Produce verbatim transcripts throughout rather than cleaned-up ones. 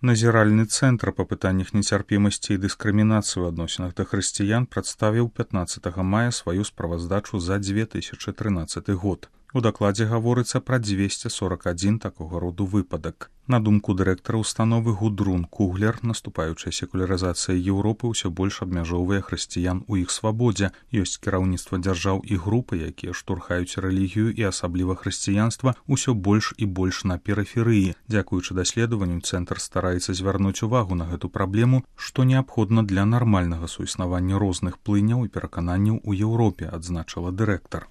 Назіральны цэнтр па пытаннях нецярпімасці і дыскрымінацыі ў адносінах да хрысціян прадставіў пятнаццатага мая сваю справаздачу за дзве тысячы трынаццаты год. У дакладзе гаворыцца пра дзвесце сорак адзін такога роду выпадак. На думку дырэктара установы Гудрун Куглер, наступаючая секулярызацыя Еўропы ўсё больш абмяжоўвае хрысціян у іх свабодзе. Ёсць кіраўніцтва дзяржаў і групы, якія штурхаюць рэлігію і асабліва хрысціянства ўсё больш і больш на перыферыі. Дзякуючы даследаванню цэнтр стараецца звярнуць увагу на гэту праблему, што неабходна для нармальнага суіснавання розных плыняў і перакананняў у Еўропе, адзначыла дырэктар.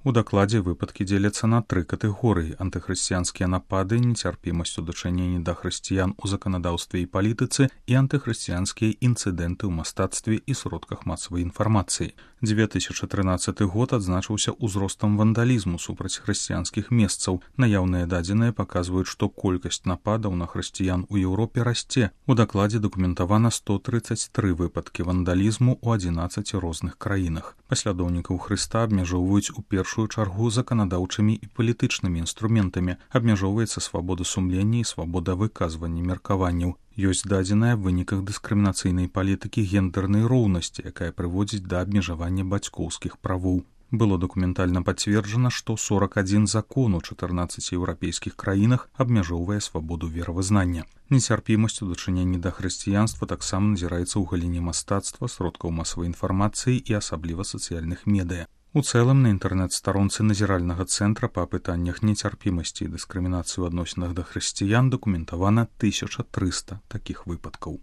У дакладзе выпадкі дзеляцца на тры катэгорыі: антыхрысціянскія напады, нецярпімасць у дачыненні да хрысціян у заканадаўстве і палітыцы і антыхрысціянскія інцыдэнты ў мастацтве і сродках масавай інфармацыі. дзве тысячы трынаццаты год адзначыўся ўзростам вандалізму супраць хрысціянскіх месцаў. Наяўныя дадзеныя паказваюць, што колькасць нападаў на хрысціян у Еўропе расце. У дакладзе дакументавана сто трыццаць тры выпадкі вандалізму ў адзінаццаці розных краінах. Паслядоўнікаў Хрыста абмяжоўваюць у першую чаргу заканадаўчымі і палітычнымі інструментамі. Абмяжоўваецца свабода сумлення і свабода выказвання меркаванняў. Ёсць дадзеная аб выніках дыскрымінацыйнай палітыкі гендэрнай роўнасці, якая прыводзіць да абмежавання бацькоўскіх правоў. Было дакументальна пацверджана, што сорак адзін закон у чатырнаццаці еўрапейскіх краінах абмяжоўвае свабоду веравызнання. Нецярпімасць у дачыненні да хрысціянства таксама назіраецца ў галіне мастацтва, сродкаў масавай інфармацыі і асабліва сацыяльных медыя. У цэлым на інтэрнэт-старонцы назіральнага цэнтра па пытаннях нецярпімасці і дыскрымінацыі ў адносінах да хрысціян дакументавана тысяча трыста такіх выпадкаў.